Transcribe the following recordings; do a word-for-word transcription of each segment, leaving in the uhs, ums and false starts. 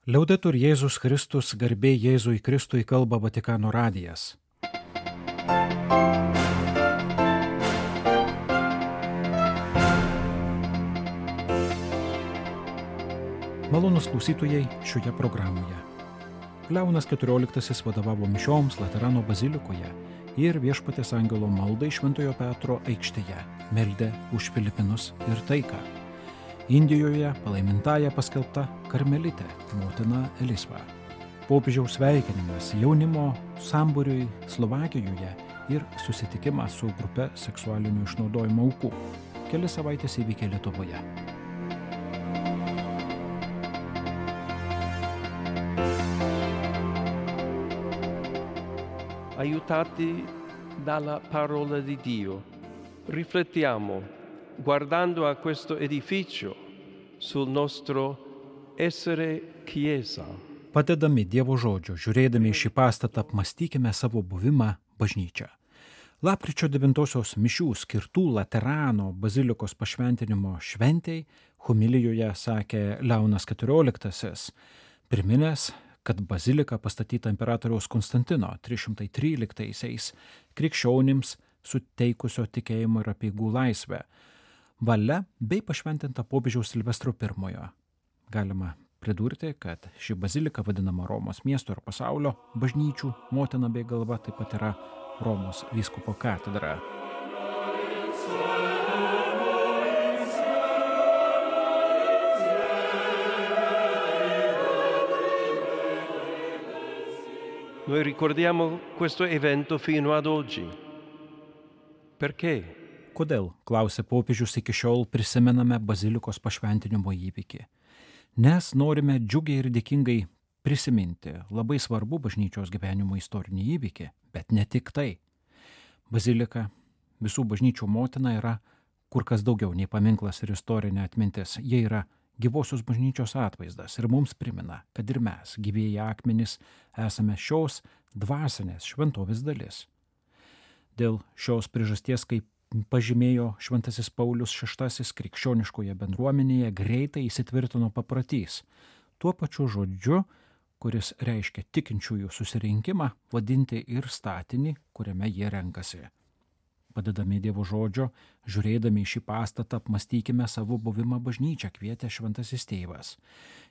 Liaudetur Jėzus Kristus, garbė Jėzui Kristui, kalba Vatikano radijas. Malonūs klausytojai šioje programoje. Leonas keturioliktasis vadovavo mišioms Laterano bazilikoje ir Viešpaties angelo maldai Šventojo Petro aikštėje, meldė už Filipinus ir taiką. Indijoje palaimintąja paskelbta karmelitė, motina Elisva. Popiežiaus sveikinimas jaunimo sambūriui Slovakijoje ir susitikimas su grupe seksualinio išnaudojimo aukų. Kelias savaitės įvykė Lietuvoje. Aiutati dalla parola di Dio, riflettiamo, guardando a questo edificio, sul nostro essere Chiesa. Padedami Dievo žodžio, žiūrėdami į šį pastatą, apmąstykime savo buvimą bažnyčia. Lapkričio devintosios mišių skirtų Laterano bazilikos pašventinimo šventei homilijoje sakė Leonas keturioliktasis, priminęs, kad bazilika pastatyta imperatoriaus Konstantino trys šimtai tryliktaisiais krikščionims suteikusio tikėjimo ir apeigų laisvę valia bei pašventinta popiežiaus Silvestro pirmojo. Galima pridurti, kad ši bazilika vadinama Romos miesto ir pasaulio bažnyčių motina bei galva, taip pat yra Romos vyskupo katedra. Noi ricordiamo questo evento fino ad oggi. Perché? Kodėl, klausė popiežius, iki šiol prisimename bazilikos pašventinimo įvykį? Nes norime džiugiai ir dėkingai prisiminti labai svarbu bažnyčios gyvenimo istorinį įvykį, bet ne tik tai. Bazilika, visų bažnyčių motina, yra kur kas daugiau nei paminklas ir istorinė atmintis. Jie yra gyvosios bažnyčios atvaizdas ir mums primena, kad ir mes, gyvieji akmenys, esame šios dvasinės šventovės dalis. Dėl šios priežasties, kaip pažymėjo Šventasis Paulius šeštasis, krikščioniškoje bendruomenėje greitai įsitvirtino papratys, tuo pačiu žodžiu, kuris reiškia tikinčiųjų susirinkimą, vadinti ir statinį, kuriame jie renkasi. Padedami Dievo žodžio, žiūrėdami į šį pastatą, apmąstykime savo buvimą bažnyčią, kvietė Šventasis Tėvas.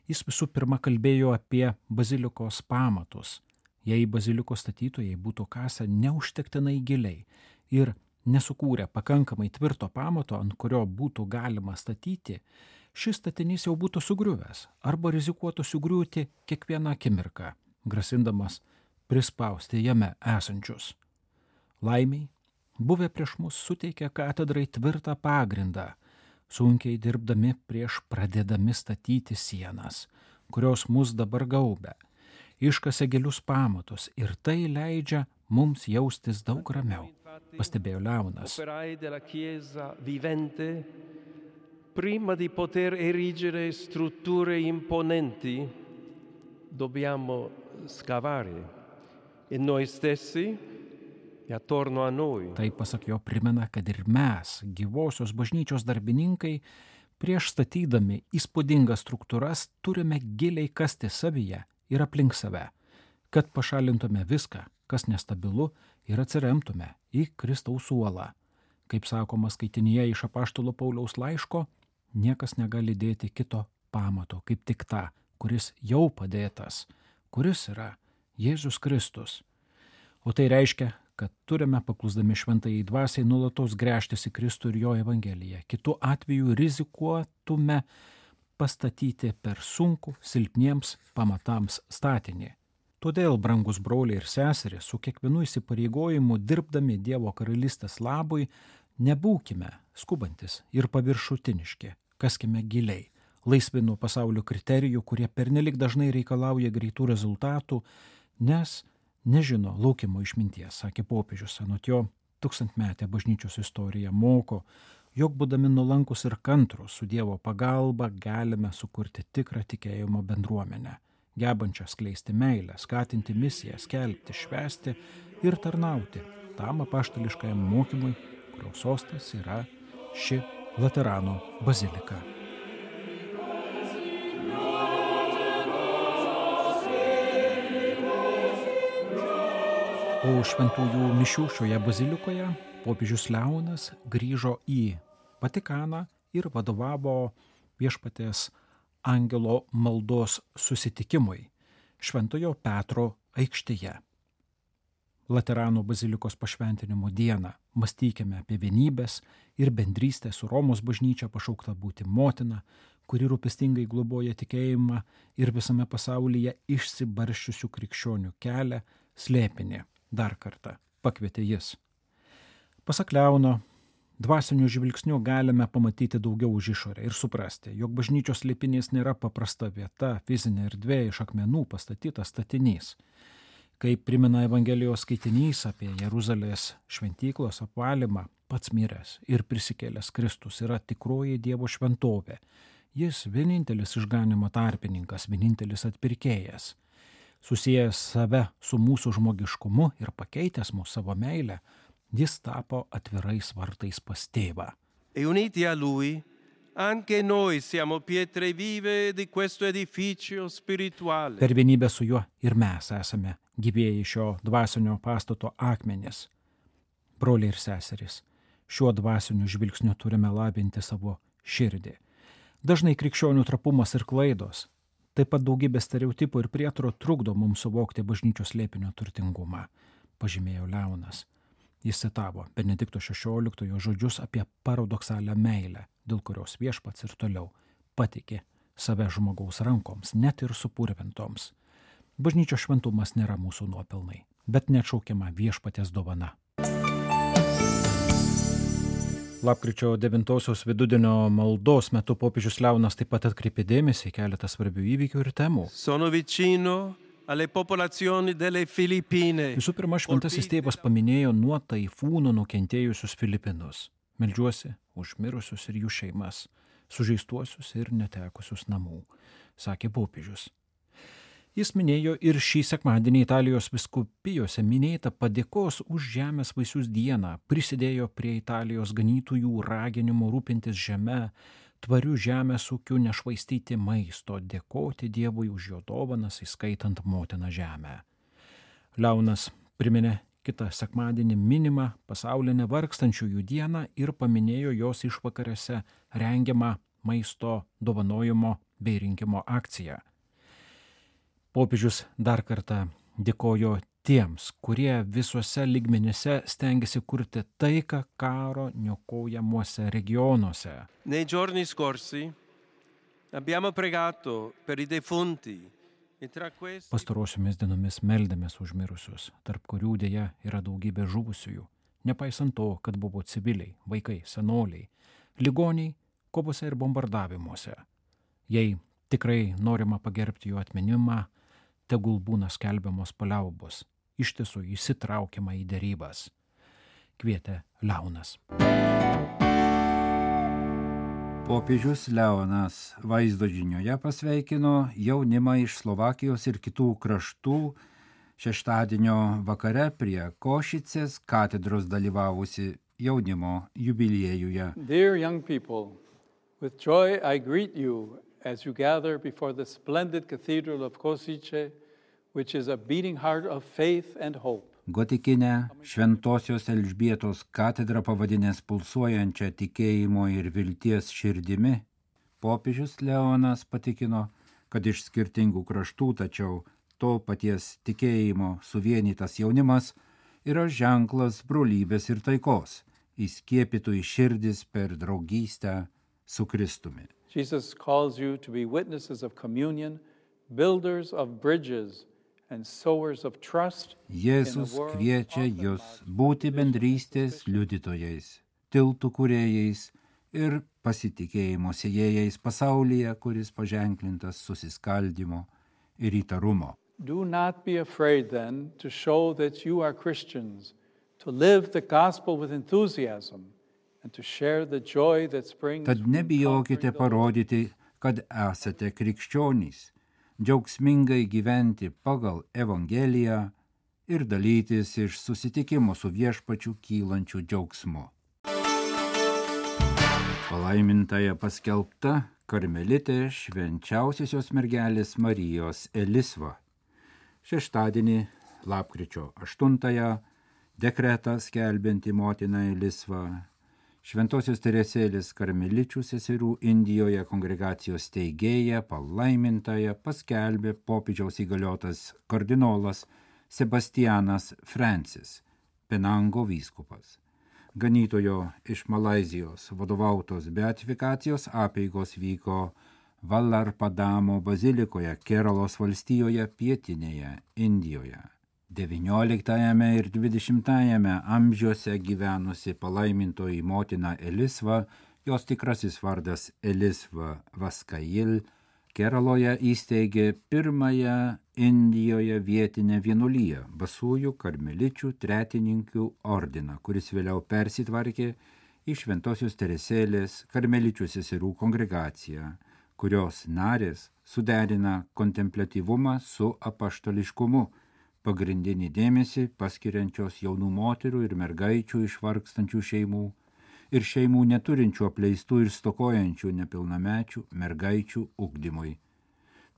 Jis visų pirma kalbėjo apie bazilikos pamatus. Jei bazilikos statytojai būtų kasę neužtektinai giliai ir nesukūrę pakankamai tvirto pamato, ant kurio būtų galima statyti, šis statinys jau būtų sugriuvęs arba rizikuotų sugriūti kiekvieną akimirką, grasindamas prispausti jame esančius. Laimiai, buvę prieš mus suteikė katedrai tvirtą pagrindą, sunkiai dirbdami prieš pradėdami statyti sienas, kurios mus dabar gaubia, iškasė gilius pamatus ir tai leidžia mums jaustis daug ramiau, pastebėjo Leonas. Operai della Chiesa vivente, prima di poter erigere strutture imponenti, dobbiamo scavare e noi stessi Tai, pasak jo, primena, kad ir mes, gyvosios bažnyčios darbininkai, prieš statydami įspūdingas struktūras, turime giliai kasti savyje ir aplink save, kad pašalintume viską, kas nestabilu, ir atsiremtume į Kristaus uolą. Kaip sakoma skaitinyje iš apaštalo Pauliaus laiško, niekas negali dėti kito pamato, kaip tik tą, kuris jau padėtas, kuris yra Jėzus Kristus. O tai reiškia, kad turime paklusdami šventajai dvasiai nuolatos gręžtis į Kristų ir jo evangeliją. Kitu atveju rizikuotume pastatyti per sunkų silpniems pamatams statinį. Todėl, brangus broliai ir seserys, su kiekvienu įsipareigojimu dirbdami Dievo karalystės labui, nebūkime skubantis ir paviršutiniški, kaskime giliai, laisvi nuo pasaulio kriterijų, kurie pernelik dažnai reikalauja greitų rezultatų, nes nežino laukimo išminties, sakė popiežius. Anot jo, tūkstantmetė bažnyčios istorija moko, jog būdami nuolankus ir kantrus su Dievo pagalba galime sukurti tikrą tikėjimo bendruomenę, gebančią skleisti meilę, skatinti misiją, skelbti, švęsti ir tarnauti tam apaštališkajam mokymui, kurio sostas yra ši Laterano bazilika. Po šventųjų mišių šioje bazilikoje popiežius Leonas grįžo į Vatikaną ir vadovavo Viešpaties angelo maldos susitikimui Šventojo Petro aikštėje. Laterano bazilikos pašventinimo dieną mąstykime apie vienybės ir bendrystę su Romos bažnyčia pašaukta būti motina, kuri rūpestingai globoja tikėjimą ir visame pasaulyje išsibarsčiusių krikščionių kelią slėpinį. Dar kartą pakvietė jis. Pasak Leono, dvasiniu žvilgsniu galime pamatyti daugiau už išorę ir suprasti, jog bažnyčios slėpinys nėra paprasta vieta, fizinė erdvė iš akmenų pastatytas statinys. Kaip primena Evangelijos skaitinys apie Jeruzalės šventyklos apvalymą, pats miręs ir prisikėlęs Kristus yra tikroji Dievo šventovė. Jis vienintelis išganymo tarpininkas, vienintelis atpirkėjas. Susijęs save su mūsų žmogiškumu ir pakeitęs mūsų savo meilę, jis tapo atvirais vartais pas tėvą. E uniti a lui, anche noi siamo pietre vive di questo edificio spirituale. Per vienybę su juo ir mes esame gyvieji šio dvasinio pastato akmenys. Broliai ir seserys, šiuo dvasiniu žvilgsniu turime labinti savo širdį. Dažnai krikščionių trapumas ir klaidos, taip pat daugybė stereotipų ir prietaro trukdo mums suvokti bažnyčios slėpinio turtingumą, pažymėjo Leonas. Jis citavo Benedikto šešioliktojo žodžius apie paradoksalią meilę, dėl kurios Viešpats ir toliau patikė save žmogaus rankoms, net ir supurvintoms. Bažnyčios šventumas nėra mūsų nuopelnai, bet neatšaukiama Viešpaties dovana. Lapkričio devintosios vidudienio maldos metu popiežius Leonas taip pat atkreipė dėmesį į keletą svarbių įvykių ir temų. Sono vicino alle popolazioni delle Filippine. Visų pirma, šventasis tėvas paminėjo nuo taifūno nukentėjusius Filipinus. Meldžiuosi už mirusius ir jų šeimas, sužeistuosius ir netekusius namų, sakė popiežius. Jis minėjo ir šį sekmadienį Italijos vyskupijose minėtą padėkos už žemės vaisius dieną, prisidėjo prie Italijos ganytojų raginimo rūpintis žeme, tvarių žemės ūkių, nešvaistyti maisto, dėkoti Dievui už jo dovanas, įskaitant motiną žemę. Leonas priminė kitą sekmadienį minimą pasaulinę vargstančiųjų dieną ir paminėjo jos išvakarėse rengiamą maisto dovanojimo bei rinkimo akciją. Popiežius dar kartą dėkojo tiems, kurie visuose lygmenyse stengiasi kurti taiką karo niokojamuose regionuose. Nei giorni scorsi abbiamo pregato per i defunti e tra questi Pastarosiomis dienomis meldėmės už mirusius, tarp kurių dėja yra daugybė žuvusiųjų, nepaisant to, kad buvo civiliai, vaikai, senoliai, ligoniai, kovose ir bombardavimuose. Jei tikrai norima pagerbti jų atminimą, tegul būna skelbiamos paliaubos, iš tiesų įsitraukiama į derybas, kvietė Leonas. Popiežius Leonas vaizdo žinioje pasveikino jaunimą iš Slovakijos ir kitų kraštų šeštadienio vakare prie Košicės katedros dalyvavusi jaunimo jubiliejuje. Dear young people, with joy I greet you as you gather before the splendid cathedral of Košice, which is a beating heart of faith and hope. Gotikinę Šventosios Elžbietos katedrą pavadinęs pulsuojančią tikėjimo ir vilties širdimi, popiežius Leonas patikino, kad iš skirtingų kraštų, tačiau to paties tikėjimo suvienytas jaunimas yra ženklas brolybės ir taikos, įskiepytų į širdis per draugystę su Kristumi. Jesus calls you to be witnesses of communion, builders of bridges and sowers of trust. Jėzus kviečia jūs būti bendrystės liudytojais, tiltų kūrėjais ir pasitikėjimo sėjėjais pasaulyje, kuris paženklintas susiskaldymo ir įtarumo. Do not be afraid then to show that you are Christians, to live the gospel with enthusiasm. Tad nebijokite parodyti, kad esate krikščionys, džiaugsmingai gyventi pagal Evangeliją ir dalytis iš susitikimo su Viešpačiu kylančiu džiaugsmu. Palaimintąja paskelbta karmelitė švenčiausiosios mergelės Marijos Elisva. Šeštadienį Lapkričio aštuntąją dekretą skelbianti motiną Elisvą, Šventosios Teresėlės karmeličių seserų Indijoje kongregacijos steigėja palaimintąją paskelbė popiežiaus įgaliotas kardinolas Sebastianas Francis, Penango vyskupas. Ganytojo iš Malaizijos vadovautos beatifikacijos apeigos vyko Vallarpadamo bazilikoje Keralos valstijoje pietinėje Indijoje. devynioliktajame ir dvidešimtajame amžiuose gyvenusi palaimintoji motina Elisva, jos tikrasis vardas Elisva Vaskail, Keraloje įsteigė pirmąją Indijoje vietinę vienuoliją, basųjų karmeličių tretininkių ordiną, kuris vėliau persitvarkė į Šventosios Teresėlės karmeličių seserų kongregaciją, kurios narės suderina kontempliatyvumą su apaštališkumu, pagrindinį dėmesį paskiriančios jaunų moterų ir mergaičių iš vargstančių šeimų ir šeimų neturinčių apleistų ir stokojančių nepilnamečių mergaičių ugdymui.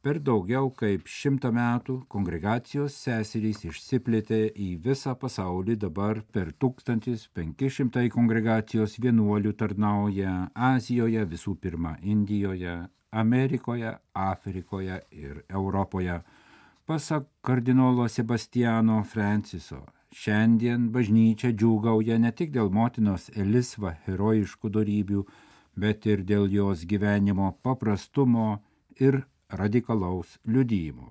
Per daugiau kaip šimtą metų kongregacijos seserys išsiplėtė į visą pasaulį, dabar per tūkstantis penki šimtai kongregacijos vienuolių tarnauja Azijoje, visų pirma Indijoje, Amerikoje, Afrikoje ir Europoje. Pasak kardinolo Sebastiano Franciso, šiandien bažnyčia džiūgauja ne tik dėl motinos Elisva herojiškų dorybių, bet ir dėl jos gyvenimo paprastumo ir radikalaus liudijimo.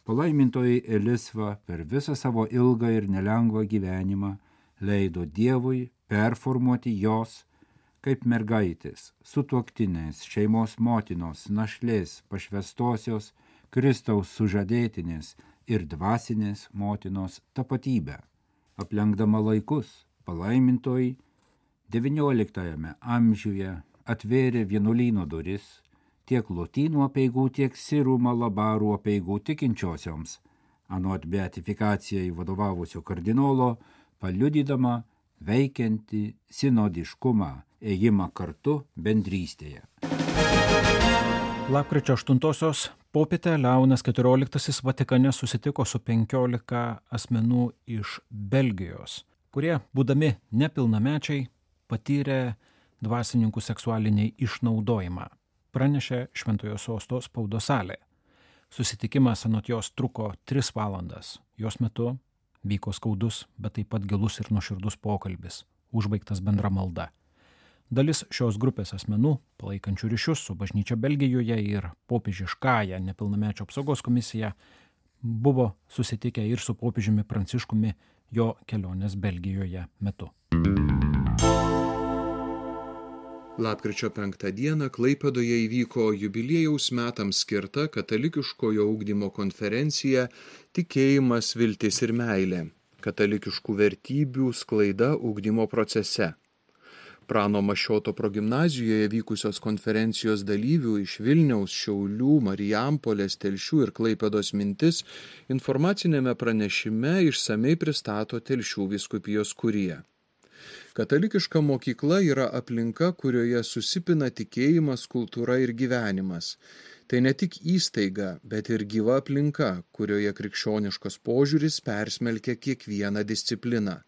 Palaimintoji Elisva per visą savo ilgą ir nelengvą gyvenimą leido Dievui performuoti jos kaip mergaitės, sutuoktinės, šeimos motinos, našlės, pašvestosios, Kristaus sužadėtinės ir dvasinės motinos tapatybę. Aplenkdama laikus, palaimintoji devynioliktajame amžiuje atvėrė vienuolyno duris tiek lotynų apeigų, tiek sirų malabarų apeigų tikinčiosioms, anot beatifikacijai vadovavusio kardinolo, paliudydama veikiantį sinodiškumą, ėjimą kartu bendrystėje. Lapkričio aštuntosios popietę Leonas keturioliktasis Vatikane susitiko su penkiolika asmenų iš Belgijos, kurie, būdami nepilnamečiai, patyrė dvasininkų seksualinį išnaudojimą, pranešė Šventojo Sosto spaudos salė. Susitikimas anot jos truko tris valandas. Jos metu vyko skaudus, bet taip pat gilus ir nuoširdus pokalbis, užbaigtas bendra malda. Dalis šios grupės asmenų, palaikančių ryšius su bažnyčia Belgijoje ir popiežiškąja nepilnamečio apsaugos komisija, buvo susitikę ir su popiežiumi Pranciškumi jo kelionės Belgijoje metu. Lapkričio penktą dieną Klaipėdoje įvyko jubiliejaus metams skirta katalikiškojo ugdymo konferencija Tikėjimas, viltis ir meilė – katalikiškų vertybių sklaida ugdymo procese. Prano Mašioto progimnazijoje vykusios konferencijos dalyvių iš Vilniaus, Šiaulių, Marijampolės, Telšių ir Klaipėdos mintis informacinėme pranešime išsamei pristato Telšių vyskupijos kurija. Katalikiška mokykla yra aplinka, kurioje susipina tikėjimas, kultūra ir gyvenimas. Tai ne tik įstaiga, bet ir gyva aplinka, kurioje krikščioniškas požiūris persmelkia kiekvieną discipliną.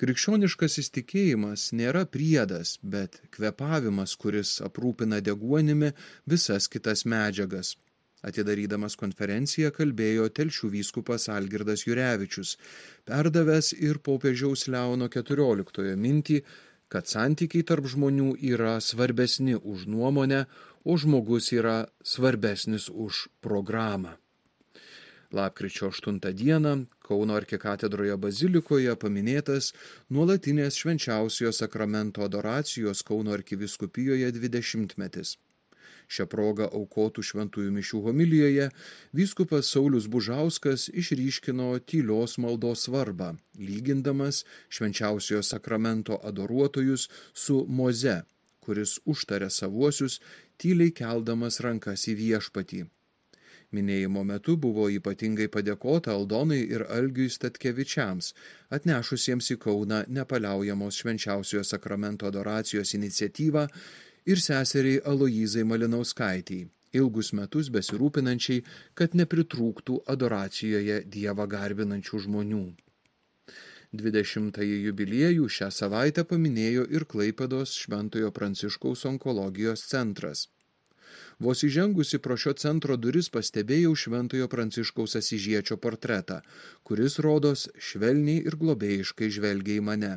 Krikščioniškasis tikėjimas nėra priedas, bet kvepavimas, kuris aprūpina deguonimi visas kitas medžiagas. Atidarydamas konferenciją kalbėjo Telšių vyskupas Algirdas Jurevičius, perdavęs ir popiežiaus Leono keturioliktojo mintį, kad santykiai tarp žmonių yra svarbesni už nuomonę, o žmogus yra svarbesnis už programą. Lapkričio aštuntą dieną Kauno arkikatedroje bazilikoje paminėtas nuolatinės švenčiausiojo sakramento adoracijos Kauno arkivyskupijos dvidešimtmetis. Šią progą aukotų šventųjų mišių homilijoje vyskupas Saulius Bužauskas išryškino tylios maldos svarbą, lygindamas švenčiausiojo sakramento adoruotojus su Moze, kuris užtaria savuosius, tyliai keldamas rankas į viešpatį. Minėjimo metu buvo ypatingai padėkota Aldonai ir Algiui Statkevičiams, atnešusiems į Kauną nepaliaujamos švenčiausiojo sakramento adoracijos iniciatyvą, ir seseriai Aloyzai Malinauskaitei, ilgus metus besirūpinančiai, kad nepritrūktų adoracijoje Dievą garbinančių žmonių. dvidešimtąjį jubiliejų šią savaitę paminėjo ir Klaipėdos Šventojo Pranciškaus onkologijos centras. Vos įžengusi pro šio centro duris pastebėjau Šventojo Pranciškaus Asyžiečio portretą, kuris rodos švelniai ir globėjiškai žvelgia į mane.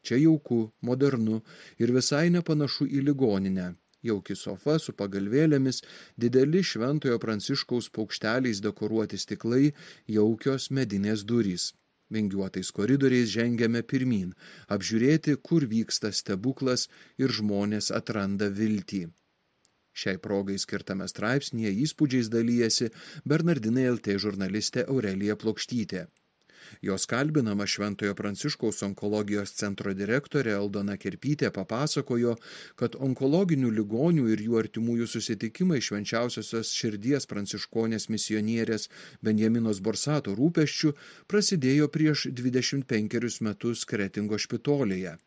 Čia jauku, modernu ir visai nepanašu į ligoninę. Jauki sofa su pagalvėlėmis, dideli Šventojo Pranciškaus paukšteliais dekoruoti stiklai, jaukios medinės durys. Vingiuotais koridoriais žengiame pirmyn, apžiūrėti, kur vyksta stebuklas ir žmonės atranda viltį. Šiai progai skirtame straipsnyje įspūdžiais dalyjasi Bernardinai L T žurnalistė Aurelija Plokštytė. Jos kalbinama Šventojo Pranciškaus onkologijos centro direktorė Aldona Kerpytė papasakojo, kad onkologinių ligonių ir jų artimųjų susitikimai Švenčiausiosios širdies pranciškonės misionierės Benjaminos Borsato rūpesčių prasidėjo prieš dvidešimt penkerius metus Kretingo špitolėje,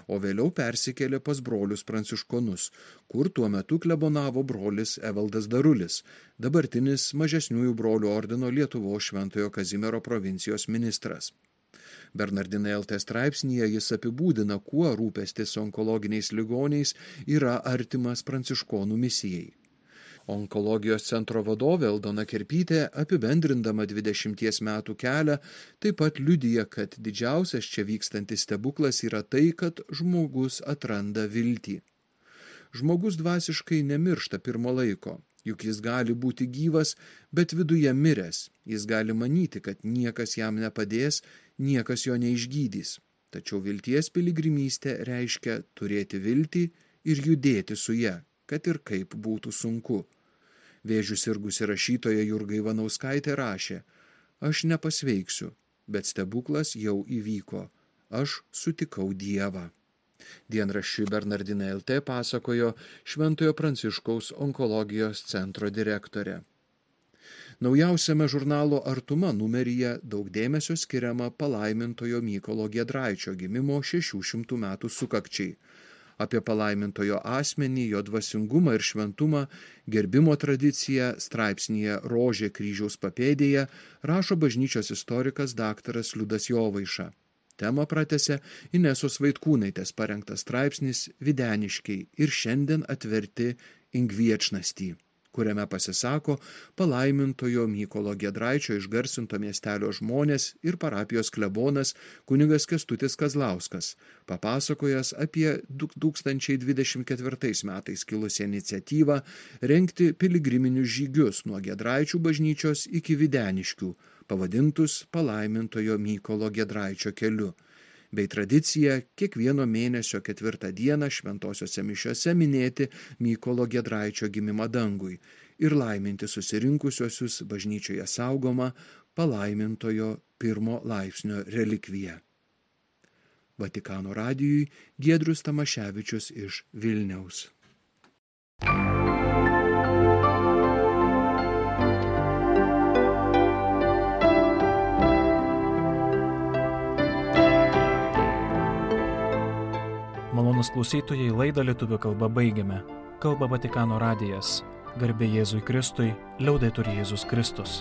o vėliau persikėlė pas brolius pranciškonus, kur tuo metu klebonavo brolis Evaldas Darulis, dabartinis mažesniųjų brolių ordino Lietuvos Šventojo Kazimiero provincijos ministras. Bernardinai L T straipsnyje jis apibūdina, kuo rūpestis onkologiniais ligoniais yra artimas pranciškonų misijai. Onkologijos centro vadovė Aldona Kerpytė, apibendrindama dvidešimties metų kelią, taip pat liudija, kad didžiausias čia vykstantis stebuklas yra tai, kad žmogus atranda viltį. Žmogus dvasiškai nemiršta pirmo laiko, juk jis gali būti gyvas, bet viduje miręs. Jis gali manyti, kad niekas jam nepadės, niekas jo neišgydys. Tačiau vilties piligrimystė reiškia turėti viltį ir judėti su ja, kad ir kaip būtų sunku. Vėžių sirgusi rašytoja Jurga Ivanauskaitė rašė: aš nepasveiksiu, bet stebuklas jau įvyko. Aš sutikau Dievą. Dienraščiui Bernardinai L T pasakojo Šventojo Pranciškaus onkologijos centro direktorė. Naujausiame žurnalo Artuma numeryje daug dėmesio skiriama palaimintojo Mykolo Giedraičio gimimo šešių šimtų metų sukakčiai. Apie palaimintojo asmenį, jo dvasingumą ir šventumą, gerbimo tradiciją straipsnyje Rožė kryžiaus papėdėje rašo bažnyčios istorikas daktaras Liudas Jovaiša. Temą pratęsė Inesos Vaitkūnaitės parengtas straipsnis Videniškiai ir šiandien atverti Ingviečnastį, kuriame pasisako palaimintojo Mykolo Giedraičio išgarsinto miestelio žmonės ir parapijos klebonas kunigas Kęstutis Kazlauskas, papasakojęs apie du tūkstančiai dvidešimt ketvirtais metais kilusią iniciatyvą rengti piligriminius žygius nuo Giedraičių bažnyčios iki Videniškių, pavadintus palaimintojo Mykolo Giedraičio keliu, bei tradicija kiekvieno mėnesio ketvirtą dieną šventosiose mišiose minėti Mykolo Giedraičio gimimą dangui ir laiminti susirinkusiosius bažnyčioje saugomą palaimintojo pirmo laipsnio relikviją. Vatikano radijui Giedrius Tamaševičius iš Vilniaus. Malonūs klausytojai, laidą lietuvių kalba baigiame. Kalba Vatikano radijas. Garbė Jėzui Kristui, liaudetur Jėzus Kristus.